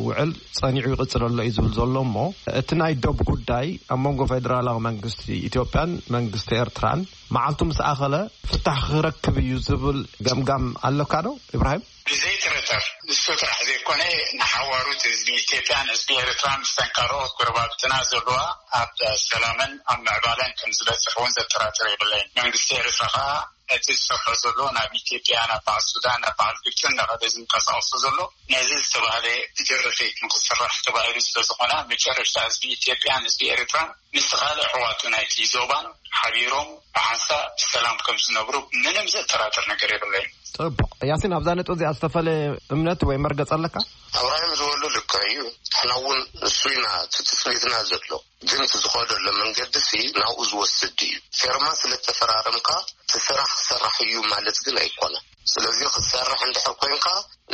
ውዕል ጸኒዑ ይቕጽል ኣሎ እዩ ዝብል ዘሎ እሞ፣ እቲ ናይ ዶብ ጉዳይ ኣብ መንጎ ፌደራላዊ መንግስቲ ኢትዮጵያን መንግስቲ ኤርትራን መዓልቱ ምስ ኣኸለ ፍታሕ ክረክብ እዩ ዝብል ገምጋም ኣለካ ዶ ኢብራሂም? ብዘይጥርጥር ንሱ ጥራሕ ዘይኮነ፣ ንሓዋሩት ህዝቢ ኢትዮጵያን ህዝቢ ኤርትራን ምስ ተንካረኦት ጎረባብትና ዘለዋ ኣብ ሰላምን ኣብ ምዕባለን ከም ዝበፅሕ እውን ዘጠራጥር የብለይን። መንግስቲ ኤርትራ ከዓ ነቲ ዝሰርሖ ዘሎ ናብ ኢትዮጵያ፣ ናብ በዓል ሱዳን፣ ናብ በዓል ግብፅን እናኸደ ዝንቀሳቐሶ ዘሎ ነዚ ዝተባህለ ብጀረፈይት ንክስራሕ ተባሂሉ ስለዝኾነ፣ መጨረሽታ ህዝቢ ኢትዮጵያን ህዝቢ ኤርትራን ምስ ካልእ ኣሕዋቱ ናይቲ ዞባን ሓቢሮም ብሓንሳእ ብሰላም ከም ዝነብሩ ምንም ዘጠራጥር ነገር የብለይን። ጽቡቕ። ያሲን፣ ኣብዛ ነጥቢ እዚኣ ዝተፈለየ እምነት ወይ መርገጽ ኣለካ? ኣብራሂም ዝበሎ ልክዕ እዩ። ንሕና እውን ንሱ ኢና እቲ ትጽቢትና ዘሎ። ግን እቲ ዝኸደሎ መንገዲ ሲ ናብኡ ዝወስድ እዩ። ፌርማ ስለ ተፈራረምካ እቲ ስራሕ ክሰራሕ እዩ ማለት ግን ኣይኮነን። ስለዚ ክትሰርሕ እንድሕር ኮንካ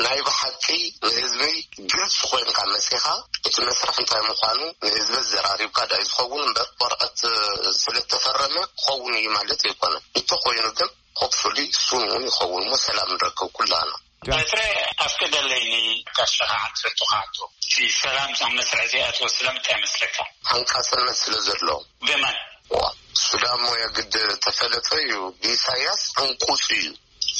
ናይ ብሓቂ ንህዝበይ ግልፂ ኮይንካ መፂኻ እቲ መስርሕ እንታይ ምዃኑ ንህዝበ ዘራሪብካ ዳይ ዝኸውን እምበር ወረቐት ስለተፈረመ ክኸውን እዩ ማለት ኣይኮነን። እንተኾይኑ ግን ሆፕፉሊ ሱን እውን ይኸውን እሞ ሰላም ንረክብ ኩላና። በትረ ኣፍቅደለይኒ ጋሻኻ ዓንተቱ ካቶ እቲ ሰላም ኣብ መስርሕ ዘይኣትዎ ስለምንታይ መስለካ? ሓንቃጽነት ስለ ዘሎ። ብመን? ዋ፣ ሱዳን ሞ የግድ ተፈለጠ እዩ። ብኢሳያስ ዕንቁጽ እዩ።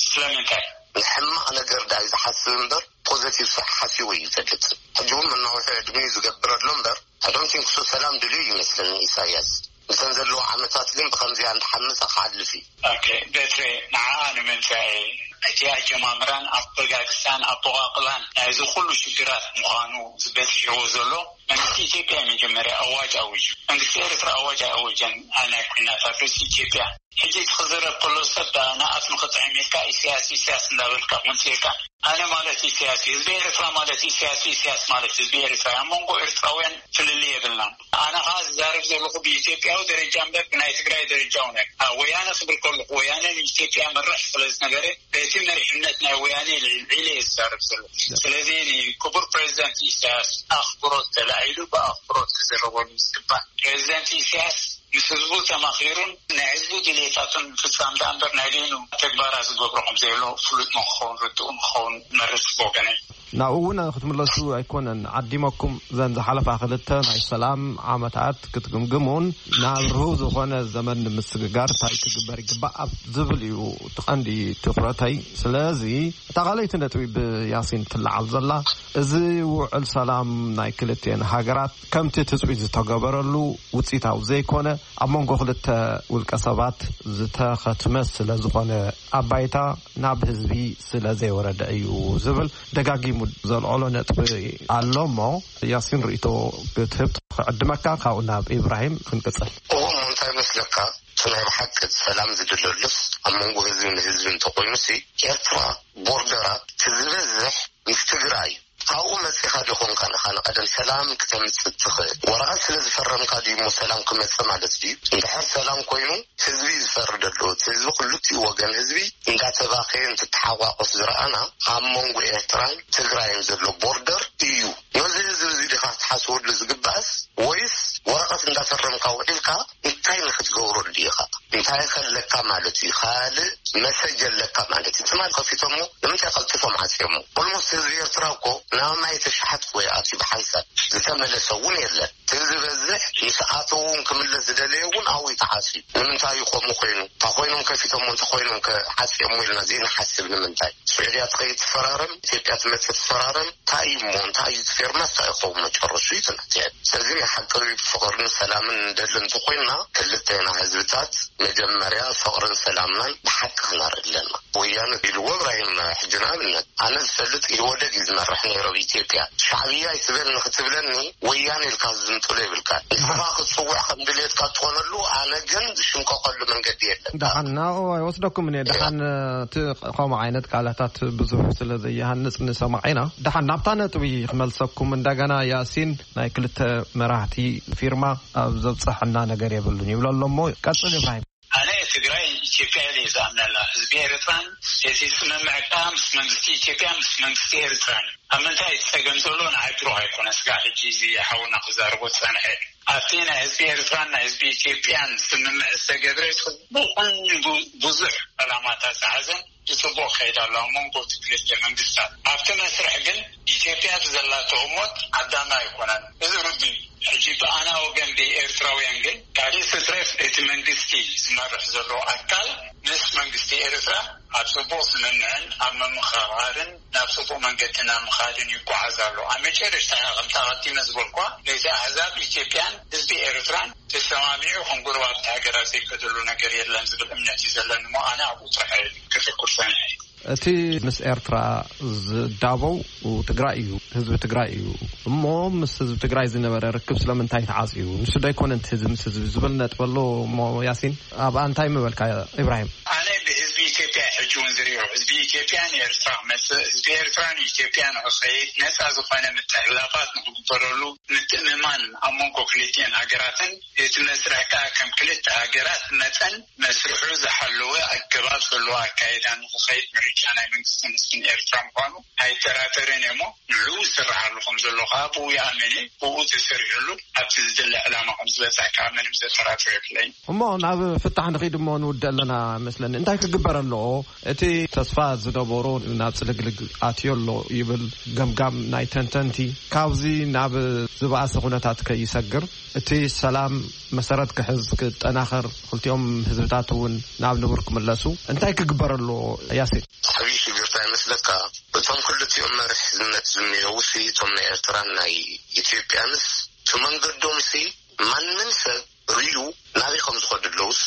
ስለምንታይ? ንሕማቕ ነገር ዳይ ዝሓስብ እምበር ፖዘቲቭ ስራሕ ሓሲቡ እዩ ይፈልጥ። ሕጂ እውን መናውሒ ዕድሚኡ ዝገብረሉ እምበር፣ I don't think so ሰላም ድልዩ ይመስለኒ ኢሳያስ። እተን ዘለዎ ዓመታት ግን ብኸምዚኣ እንዳሓመፀ ክሓልፍ እዩ። ኦኬ፣ በትሬ፣ ንዓኣ ንምምፃእ እቲ ኣጀማምራን ኣበጋግሳን ኣበቋቕላን ናይዚ ኩሉ ሽግራት ምዃኑ ዝበፂሕዎ ዘሎ መንግስቲ ኢትዮጵያ መጀመርያ ኣዋጅ ኣዊጁ። መንግስቲ ኤርትራ ኣዋጅ ኣወጀን፣ ናይ ኩናት ኣብ ርእሲ ኢትዮጵያ። ሕጂ እቲ ክዝረብ ከሎ ሰብ ንኣፍ ንኽጥዕም ኢልካ ኢሳያስ ኢሳያስ እንዳበልካ ምንጽ ኢልካ፣ ኣነ ማለት ኢሳያስ እዩ፣ ህዝቢ ኤርትራ ማለት ኢሳያስ፣ ኢሳያስ ማለት ህዝቢ ኤርትራ እዩ። ኣብ መንጎ ኤርትራውያን ፍልልይ የብልናን። ኣነ ኸዓ ዝዛረብ ዘለኹ ብኢትዮጵያዊ ደረጃ እምበር ብናይ ትግራይ ደረጃ እውን ኣይኮነን። ወያነ ክብል ከለኹ ወያነ ንኢትዮጵያ መርሕ ስለ ዝነበረ በቲ መሪሕነት ናይ ወያነ ልዒለ እየ ዝዛረብ ዘለኹ። ስለዚ ንክቡር ፕሬዚደንት ኢሳያስ ኣኽብሮት ተላዒሉ ብኣኽብሮት ክዝረበሉ ዝግባእ። ፕሬዚደንት ኢሳያስ ምስ ህዝቡ ተማኺሩን ናይ ህዝቡ ድሌታቱን ምፍጻም ደኣ እምበር ናይ በይኑ ተግባራት ዝገብሮ ከም ዘየሎ ፍሉጥ ንክኸውን ርድኡ ንክኸውን መርጽ ብወገነይ። ናብኡ እውን ክትምለሱ ኣይኮነን ዓዲመኩም። ዘን ዝሓለፋ ክልተ ናይ ሰላም ዓመታት ክትግምግሙን ናብ ርሁው ዝኾነ ዘመን ንምስግጋር እንታይ ክግበር ይግባእ ኣብ ዝብል እዩ እቲ ቀንዲ ትኹረተይ። ስለዚ እታ ካልኣይቲ ነጥቢ ብያሲን ትለዓል ዘላ፣ እዚ ውዕል ሰላም ናይ ክልቲኤን ሃገራት ከምቲ ትጽቢት ዝተገበረሉ ውጽኢታዊ ዘይኮነ፣ ኣብ መንጎ ክልተ ውልቀ ሰባት ዝተኸትመ ስለ ዝኾነ፣ ኣብ ባይታ ናብ ህዝቢ ስለ ዘይወረደ እዩ ዝብል ደጋጊሙ ዘልዕሎ ነጥቢ ኣሎ እሞ፣ ያሲን ርእይቶ ክትህብ ክዕድመካ፣ ካብኡ ናብ ኢብራሂም ክንቅጽል። እዎ እሞ እንታይ ይመስለካ? እቲ ናይ ብሓቂ ሰላም ዝድለሉስ ኣብ መንጎ ህዝቢ ንህዝቢ እንተኾይኑሲ፣ ኤርትራ ቦርደራ እቲ ዝበዝሕ ምስ ትግራይ እዩ። ካብኡ መጺኻ ዶ ኾንካ ንኻ ንቐደም ሰላም ክተምጽእ ትኽእል? ወረቐት ስለ ዝፈረምካ ድዩ እሞ ሰላም ክመጽእ ማለት ድዩ? እንድሕር ሰላም ኮይኑ ህዝቢ እዩ ዝፈርድ ኣሎ። እቲ ህዝቢ ክልቲኡ ወገን ህዝቢ እንዳተባኸየ እንትተሓቋቆፍ ዝረኣና ኣብ መንጎ ኤርትራን ትግራይን ዘሎ ቦርደር እዩ። ነዚ ህዝቢ እዚ ዲኻ ክትሓስበሉ ዝግባእስ ወይስ ወረቐት እንዳፈረምካ ውዒልካ እንታይ ንክትገብረሉ ኢኻ? እንታይ ከለካ ማለት እዩ? ካልእ መሰጅ ኣለካ ማለት እዩ። ትማል ከፊቶሞ ንምንታይ ቀልጢፎም ዓፅዮሞ? ኦልሞስት ህዝቢ ኤርትራ እኮ ናብ ማይ ተሻሓት ወይ ኣትዩ ብሓንሳብ ዝተመለሰ እውን የለን። እቲ ዝበዝሕ ምስ ኣተዉ እውን ክምለስ ዝደለየ እውን ኣብኡ ተዓፅዩ። ንምንታይ እዩ ከምኡ ኮይኑ? እንተ ኮይኖም ከፊቶሞ እንተ ኮይኖም ከዓፅዮሞ ኢልና ዘይንሓስብ ንምንታይ? ስዑድያ ትኸይድ ትፈራረም፣ ኢትዮጵያ ትመፅእ ትፈራረም። እንታይ እዩ እሞ እንታይ እዩ እቲ ፌርማ እንታይ ይኸውን መጨረሹ እዩ ትናት። ስለዚ ናይ ሓቂ ፍቕርን ሰላምን ንደሊ እንተኮይንና ክልቴና ህዝብታት መጀመርያ ፍቕርን ሰላምናን ብሓቂ ክነርኢ ኣለና። ወያነ ኢልዎ እብራሂም ሕጂ ንኣብነት ኣነ ዝፈልጥ ኢህወደግ እዩ ዝመርሕ ነይሩ ኣብ ኢትዮጵያ። ሻዕብያ ኣይትበል ንክትብለኒ ወያነ ኢልካ ዝምጥሎ የብልካ። ንስኻ ክትፅውዕ ከም ድሌትካ ትኾነሉ ኣነ ግን ዝሽምቀቀሉ መንገዲ የለን። ደሓን ናብኡ ኣይወስደኩምን እየ። ደሓን እቲ ከምኡ ዓይነት ቃላታት ብዙሕ ስለ ዘይሃንጽ ንሰማዕ ኢና። ደሓን ናብታ ነጥቢ ክመልሰኩም እንደገና ያሲን ናይ ክልተ መራሕቲ ፊርማ ኣብ ዘብጽሐና ነገር የብሉን ይብሎ ኣሎ እሞ ቀጽል እብራሂም። ኣነ ትግራይ ኢትዮጵያ ኢለ እየ ዝኣምነላ። ህዝቢ ኤርትራን እቲ ስምምዕ ከዓ ምስ መንግስቲ ኢትዮጵያ ምስ መንግስቲ ኤርትራን ኣብ ምንታይ እቲ ጸገም ዘሎ ንዓይ ብሩህ ኣይኮነ። ስጋዕ ሕጂ እዚ ሓውና ክዛረቦ ዝጸንሐ ኣብቲ ናይ ህዝቢ ኤርትራን ናይ ህዝቢ ኢትዮጵያን ስምምዕ ዝተገብረ ጽቡቕን ቡ- ብዙሕ ዕላማታት ዝሓዘን ብጽቡቕ ከይድ ኣሎ ኣብ መንጎ እቲ ክልተ መንግስታት። ኣብቲ መስርሕ ግን ኢትዮጵያ ብዘላቶ ህሞት ዓዳሚ ኣይኮነን። እዚ ርዱእ እዩ። ሕጂ ብኣና ወገን ብኤርትራውያን ግን ካልእ ትትረፍ እቲ መንግስቲ ዝመርሕ ዘሎ ኣካል ምስ መንግስቲ ኤርትራ ኣብ ጽቡቕ ስምምዕን ኣብ ምምኽኻርን ናብ ጽቡቕ መንገዲ ናብ ምኻድን ይጓዓዝ ኣሎ። ኣብ መጨረሽታ ከምቲ ኣቐዲመ ዝበልኳ ነቲ ኣህዛብ ኢትዮጵያን ህዝቢ ኤርትራን ተሰማሚዑ ከም ጎረባብቲ ሃገራት ዘይከደሉ ነገር የለን ዝብል እምነት እዩ ዘለኒ እሞ ኣነ ኣብኡ ጥራሕ ከተኩር ሰኒሐ። እቲ ምስ ኤርትራ ዝዳበው ትግራይ እዩ፣ ህዝቢ ትግራይ እዩ። እሞ ምስ ህዝቢ ትግራይ ዝነበረ ርክብ ስለምንታይ ተዓጽዩ? ንሱ ዶ ኣይኮነን እቲ ህዝቢ ምስ ህዝቢ ዝብል ነጥቢ ኣሎ እሞ ያሲን ኣብኣ እንታይ ምበልካ ኢብራሂም? ኣነ ብህዝቢ ኢትዮጵያ ሕጂ እውን ዝሪኦ ህዝቢ ኢትዮጵያ ንኤርትራ ክመጽእ ህዝቢ ኤርትራ ንኢትዮጵያ ንክኸይድ ነፃ ዝኾነ ምትሕልላፋት ንክግበረሉ ምትእምማን ኣብ መንጎ ክልቲኤን ሃገራትን እቲ መስርሕ ከዓ ከም ክልተ ሃገራት መጠን መስርሑ ዝሓለወ ኣገባብ ዘለዎ ኣካይዳ ንክኸይድ ምርጫ ናይ መንግስትን ህዝብን ኤርትራ ምኳኑ ኣይጠራጠርን እየ እሞ ንዕኡ ዝስርሓሉ ከም ዘሎ ከዓ ብኡ ይኣምን እየ። ብኡ ተሰሪሕሉ ኣብቲ ዝድለ ዕላማ ከም ዝበፅሕ ከዓ ምንም ዘጠራጥር የብለይን። እሞ ናብ ፍታሕ ንኺድ እሞ ንውደ ኣለና መስለኒ። እንታይ ክግበር ኣለዎ? እቲ ተስፋ ዝነበሮ ናብ ጽልግልግ ኣትዮ ኣሎ ይብል ገምጋም ናይ ተንተንቲ። ካብዚ ናብ ዝበኣሰ ኩነታት ከይሰግር እቲ ሰላም መሰረት ክሕዝ ክጠናኸር ክልቲኦም ህዝብታት እውን ናብ ንቡር ክምለሱ እንታይ ክግበር ኣለዎ? ያሲን። ዓብዪ ሽግርታ ይመስለካ እቶም ክልቲኦም መርሒ ህዝብነት ዝኒሀው ሲ እቶም ናይ ኤርትራን ናይ ኢትዮጵያንስ እቲ መንገዶም ሲ ማንም ሰብ ርእዩ ናበይ ከም ዝኸዱ ኣለውስ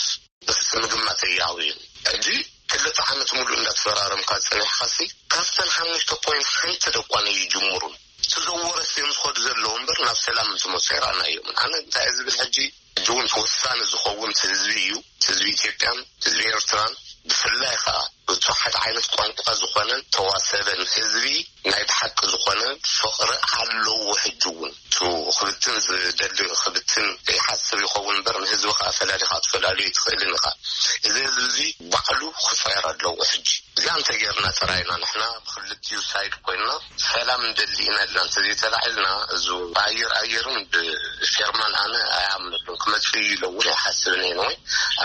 ምግማት እያውዩ። ሕጂ ክልተ ዓመት ሙሉእ እንዳተፈራረምካ ጸኒሕካሲ ካብተን ሓሙሽተ ፖይንት ሓንቲ ደኳ ነይጅምሩን። እቲ ዘወረስ እዮም ዝኸዱ ዘለዉ እምበር ናብ ሰላም ምስ መፁ ኣይረኣናዮምን። ኣነ እንታይ እየ ዝብል ሕጂ ሕጂ እውን ተወሳኒ ዝኸውን እቲ ህዝቢ እዩ። እቲ ህዝቢ ኢትዮጵያን ህዝቢ ኤርትራን ብፍላይ ከዓ እቲ ሓደ ዓይነት ቋንቋ ዝኾነን ተዋሰበን ህዝቢ ናይ ብሓቂ ዝኾነ ፍቕሪ ኣለዎ። ሕጂ እውን እቲ ክብትን ዝደሊ ክብትን ይሓስብ ይኸውን እምበር ንህዝቢ ከዓ ፈላሊኻ ትፈላልዮ ኣይትኽእልን ኢኻ። እዚ ህዝቢ እዚ ባዕሉ ክፀየር ኣለዎ። ሕጂ እዚኣ እንተጌርና ጥራይና ንሕና ብክልቲኡ ሳይድ ኮይንና ሰላም ንደሊ ኢና ኢልና እንተዘይተላዒልና እዚ ብኣየር ኣየርን ብፌርማን ኣነ ኣይኣምነሉን ክመፅእ እዩ ኢለ እውን ኣይሓስብን እየ። ንወይ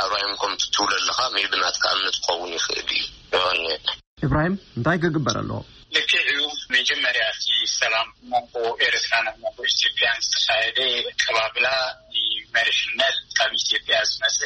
ኣብራሂም ከምቲ ትብሎ ኣለኻ ሜቢ ናትካ እምነት ክኸውን ይኽእል እዩ። የቐንየልና። ኢብራሂም እንታይ ክግበር ኣለዎ? ልክዕ እዩ። መጀመርያ እቲ ሰላም መንጎ ኤርትራን ኣብ መንጎ ኢትዮጵያን ዝተኻየደ ኣቀባብላ ንመሪሕነት ካብ ኢትዮጵያ ዝመፀ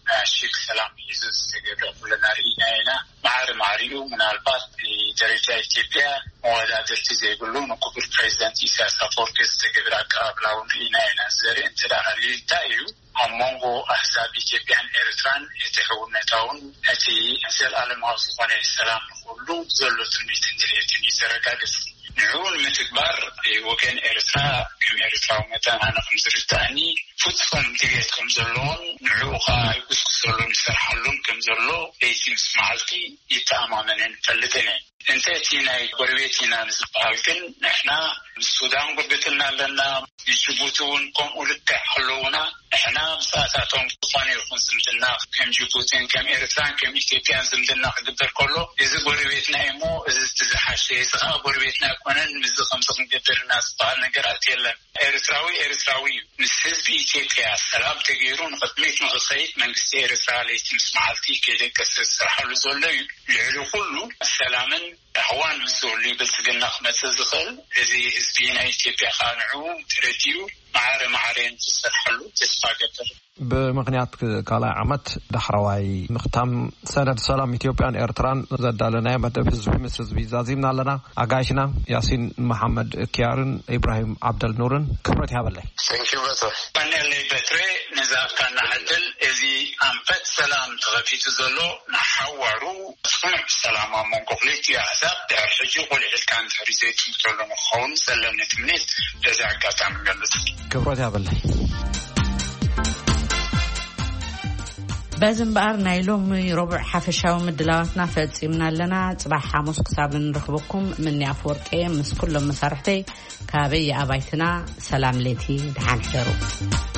ናሽግ ሰላም ሒዙ ዝተገብረ ኩልና ርኢና ኢና። ማዕሪ ማዕሪኡ ምናልባት ብደረጃ ኢትዮጵያ መወዳድርቲ ዘይብሉ ንክቡር ፕሬዚደንት ኢሳያስ ኣፈወርቂ ዝተገብረ ኣቀባብላ እውን ርኢና ኢና። ዘርኢ እንተ ደኣ ሃልዩ እንታይ እዩ? ኣብ መንጎ ኣህዛብ ኢትዮጵያን ኤርትራን እቲ ሕውነታውን እቲ ዘለኣለማዊ ዝኾነ ሰላም ንኹሉ ዘሎ ትምኒትን ድሌትን እዩ ዘረጋግጽ። ንዕኡ ንምትግባር ወገን ኤርትራ ከም ኤርትራዊ መጠን ኣነ ከም ዝርዳእኒ ፍጹም ድሌት ከም ዘለዎን ንዕኡ ኸኣ ይጉስጉሰሉን ይሰርሓሉን ከም ዘሎ ለይቲ ምስ መዓልቲ ይተኣማመንን ይፈልጥን እየ። እንተ እቲ ናይ ጎረቤት ኢና ንዝበሃል ግን ንሕና ምስ ሱዳን ጉርብትና ኣለና፣ ምስ ጅቡቲ እውን ከምኡ ልክዕ ኣለዉና። ንሕና ምስኣታቶም ዝኾነ ይኹን ዝምድና ከም ጅቡቲን ከም ኤርትራን ከም ኢትዮጵያን ዝምድና ክግበር ከሎ እዚ ጎረቤትና እዩ እሞ እዚ እቲ ዝሓሸ፣ እዚ ኸኣ ጎረቤትና ኣይኮነን፣ ምስዚ ከምዚ ክንገብር ኢና ዝበሃል ነገራት የለን። ኤርትራዊ ኤርትራዊ እዩ። ምስ ህዝቢ ኢትዮጵያ ሰላም ተገይሩ ንቕድሚት ንኽኸይድ መንግስቲ ኤርትራ ለይቲ ምስ መዓልቲ ከይደቀሰ ዝሰርሓሉ ዘሎ እዩ። ልዕሊ ኩሉ ሰላምን ራህዋን ምስ ዝህሉ ብልጽግና ክመጽእ ዝኽእል። እዚ ህዝቢ ናይ ኢትዮጵያ ከዓ ንዕኡ ተረዲኡ ማዕረ ማዕረ እንትሰርሓሉ ተስፋ ገብር። ብምኽንያት ካልኣይ ዓመት ዳሕረዋይ ምኽታም ሰነድ ሰላም ኢትዮጵያን ኤርትራን ዘዳለናዮ መደብ ህዝቢ ምስ ህዝቢ ዛዚምና ኣለና። ኣጋይሽና ያሲን መሓመድ ኪያርን ኢብራሂም ዓብደል ኑርን ክብረት ይሃበለይ። Thank you በትረ። ቀነለይ በትረ፣ ነዛ ካና ዕድል። እዚ ኣንፈት ሰላም ተኸፊቱ ዘሎ ንሓዋሩ ስኑዕ ሰላም ኣብ መንጎ ክልቲኡ ኣሕዛብ ድሕሪ ሕጂ ቁልዕ ኢልካ እንድሕሪ ዘይጥምተሉ ንክኸውን ዘለኒ ትምኒት በዚ ኣጋጣሚ ገልጽ። ክብረት ያበለይ። በዚ እምበኣር ናይ ሎሚ ረቡዕ ሓፈሻዊ ምድላዋትና ፈጺምና ኣለና። ጽባሕ ሓሙስ ክሳብ እንረኽበኩም ምኒ ኣፍወርቂ ምስ ኩሎም መሳርሕተይ ካበይ ኣባይትና ሰላም ለይቲ፣ ደሓን ሕደሩ።